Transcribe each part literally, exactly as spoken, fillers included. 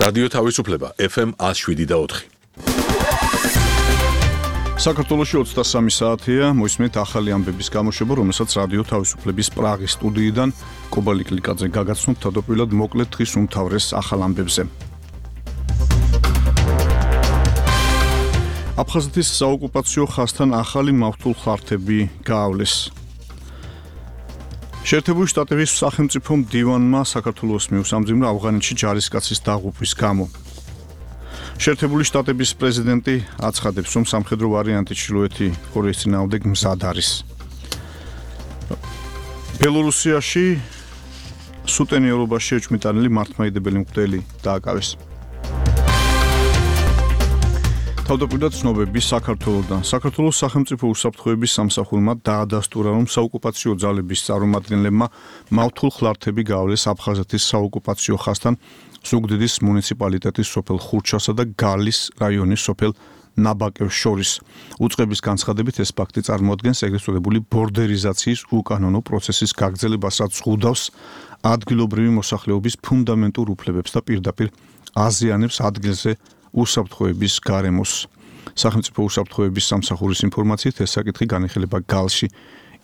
რადიო თავისუფლება ეფ ემ ათს შვიდი და ოთხი. საქართველოში ოცდასამი საათია, მოისმენთ ახალი ამბების გამოშვება, რომელსაც რადიო თავისუფლების პრაღის სტუდიიდან კობალი კლიკაძე გაგაცნობთ თავდაპირველად მოკლედ დღის უმთავრეს ახალ ამბებზე. აფხაზეთის საოკუპაციო ხაზთან ახალი მავთულ ხართები გაავლეს. შეერთებული შტატების სახელმწიფო მდივანმა საქართველოს მიუსამძიმრა ავღანეთში ჯარისკაცის დაღუპვის გამო. შეერთებული შტატების პრეზიდენტი აცხადებს, რომ სამხედრო ვარიანტი ჩრდილოეთი კორეის წინააღმდეგ მზად არის. ბელორუსიაში სუტენიერობაში ეჭვმიტანილი მართლმადიდებელი მღვდელი დააკავეს. თავდაპირველად ცნობები საქართველოსთან. საქართველოს სახელმწიფო უსაფრთხოების სამსახურმა დაადასტურა, რომ საოკუპაციო ძალების წარმომადგენლებმა მავთულ ხლართები გაავლეს აფხაზეთის საოკუპაციო ხაზთან ზუგდიდის მუნიციპალიტეტის სოფელ ხურჩასა და გალის რაიონის სოფელ ნაბაკევს შორის. უწყების განცხადებით ეს ფაქტი წარმოადგენს ეგრეთ წოდებული ბორდერიზაციის უკანონო პროცესის გაგრძელებას, რაც ზღუდავს ადგილობრივი მოსახლეობის ფუნდამენტურ უფლებებს და პირდაპირ აზიანებს ადგილზე უსაფრთხოების გარემოს. სახელმწიფო უსაფრთხოების სამსახურის ინფორმაციით ეს საკითხი განიხილება გალში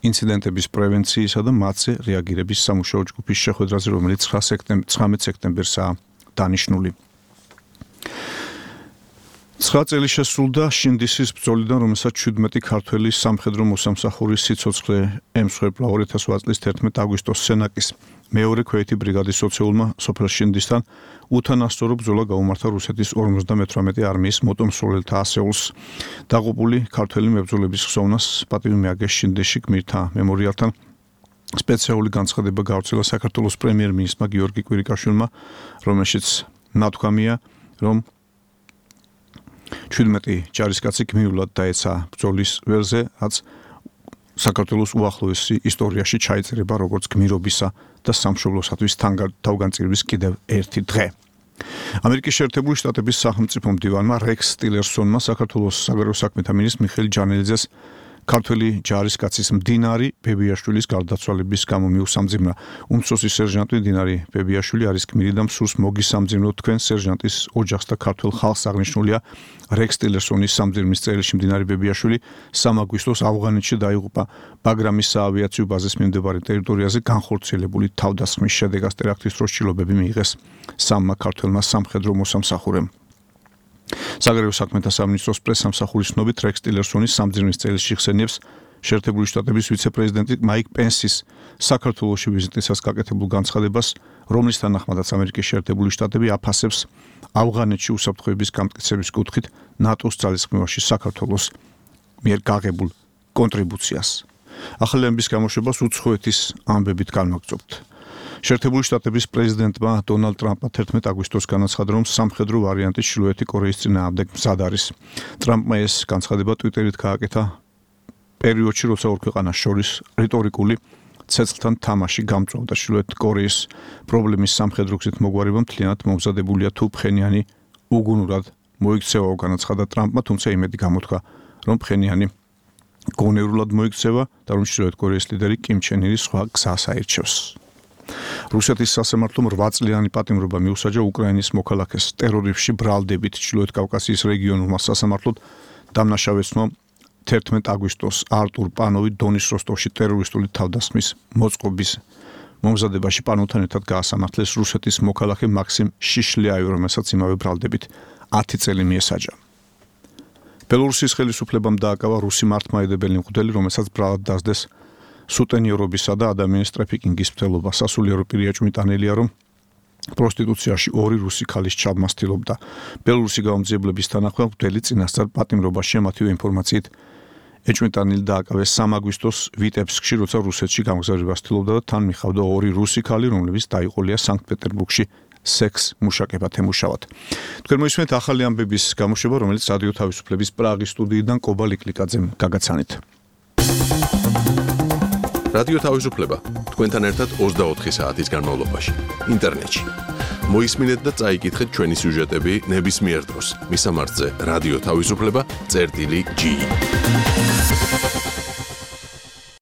ინციდენტების პრევენციისა და მათზე რეაგირების სამუშაო ჯგუფის შეხვედრაზე, რომელიც ცხრამეტ სექტემბერსაა დანიშნული. ცხრა წელი შესრულდა შინდისის ბრძოლიდან, რომელსაც შვიდმეტი ქართველი სამხედრო მოსამსახურის სიცოცხლე ემსხვერპლა ორი ათას ოთხ წლის თერთმეტ აგვისტოს სენაკის მეორე ქვეითი ბრიგადის ოცეულმა სოფელ შინდისთან უთანასწორო ბრძოლა გაუმართა რუსეთის ორმოცდამეთვრამეტე არმიის მოტომსროლელთა ასეულს. დაღუპული ქართველი მებრძოლების ხსოვნას პატივი მიაგეს შინდისში გმირთა მემორიალთან. სპეციალური განცხადება გავრცელა საქართველოს პრემიერ-მინისტრმა გიორგი კვირიკაშვილმა, რომელშიც ნათქვამია, რომ შვიდმეტი ჯარისკაცი გმირულად დაეცა ბრძოლის ველზე, რაც საქართველოს უახლოესი ისტორიაში ჩაიწერება როგორც გმირობისა და სამშობლოსათვის თავგანწირვის კიდევ ერთი დღე. ამერიკის შეერთებული შტატების სახელმწიფო მდივანმა რექს ტილერსონმა საქართველოს საგარეო საქმეთა მინისტრ მიხეილ ჯანელიძეს ქართველი ჯარისკაცის მდინარი ბებიაშვილის გარდაცვალების გამო მიუსამძიმრა. უმცროსი სერჟანტი მდინარი ბებიაშვილი არის გმირი და მსურს მოგისამძიმროთ თქვენ სერჟანტის ოჯახს და ქართულ ხალხს. აღნიშნულია რექს ტილერსონის სამძიმრის წერილში მდინარი ბებიაშვილი სამ აგვისტოს ავღანეთში დაიღუპა ბაგრამის საავიაციო ბაზის მიმდებარე ტერიტორიაზე განხორციელებული თავდასხმის შედეგად. ტერაქტის დროს ჭრილობები მიიღეს სამმა ქართველმა სამხედრო მოსამსახურემ. საგარეო საქმეთა სამინისტროს პრესსამსახურის ცნობით რექს ტილერსონის სამძიმრის წერილში ხსენიებს შეერთებული შტატების ვიცე-პრეზიდენტი მაიკ პენსის საქართველოში ვიზიტისას გაკეთებულ განცხადებას, რომლის თანახმადაც ამერიკის შეერთებული შტატები აფასებს ავღანეთში უსაფრთხოების გამტკიცების კუთხით ნატოს ძალისხმევაში საქართველოს მიერ გაღებულ კონტრიბუციას. ახალი ამბის გამოშვებას უცხოეთის ამბებით განვაგრძობთ. შეერთებული შტატების პრეზიდენტმა დონალდ ტრამპმა თერთმეტ აგვისტოს განაცხადა, რომ სამხედრო ვარიანტი ჩრდილოეთი კორეის წინააღმდეგ მზად არის. ტრამპმა ეს განცხადება ტვიტერით გააკეთა პერიოდში, როცა ორ ქვეყანას შორის რიტორიკული ცეცხლთან თამაში გამწვავდა. ჩრდილოეთ კორეის პრობლემის სამხედრო გზით მოგვარება მთლიანად მომზადებულია, თუ ფხენიანი უგუნურად მოიქცევაო, განაცხადა ტრამპმა, თუმცა იმედი გამოთქვა, რომ ფხენიანი გონევრულად მოიქცევა და რომ ჩრდილოეთ კორეის ლიდერი კიმ ჩენ ირი სხვა გზას აირჩევს. რუსეთის სასამართლომ რვა წლიანი პატიმრობა მიუსაჯა უკრაინის მოქალაქეს ტერორიზმში ბრალდებით. ჩრდილოეთ კავკასიის რეგიონულმა სასამართლოდ დამნაშავეცნო თერთმეტ აგვისტოს არტურ პანოვი დონის როსტოვში ტერორისტული თავდასხმის მოწყობის მომზადებაში პანოვთან ერთად გაასამართლეს რუსეთის მოქალაქე მაქსიმ შიშლიაევი, რომელსაც იმავე ბრალდებით ათი წელი მიესაჯა. ბელორუსის ხელისუფლებამ დააკავა რუსი მართლმადიდებელი მღვდელი, რომელსაც ბრალად დასდეს სუტენიერობისა და ადამიანის ტრაფიკინგის მცდელობა. სასულიერო პირი ეჭვმიტანილია, რომ პროსტიტუციაში ორი რუსი ქალის ჩაბმასtildeობდა. ბელორუსი გაუმძიებლების თანახმად მღვდელი წინასწარ პატიმრობაში მათივე ინფორმაციით ეჭვმიტანილი დააკავეს სამ აგვისტოს ვიტებსკში, როცა რუსეთში გამგზავრებას ცდილობდა და თან მიხავდა ორი რუსი ქალი, რომლებიც დაიყოლია სანქტ-პეტერბურგში სექს მუშაკებად ემუშავათ. თქვენ მოისმენთ ახალი ამბების გამოშვება, რომელიც რადიო თავისუფლების პრაღის სტუდიიდან კობალი კლიკაძემ გაგაცანით. რადიო თავისუფლება თქვენთან ერთად ოცდაოთხი საათის განმავლობაში ინტერნეტში. მოისმინეთ და წაიკითხეთ ჩვენი სიუჟეტები ნებისმიერ დროს. მისამართზე რადიო თავისუფლება წერტილი ჯი.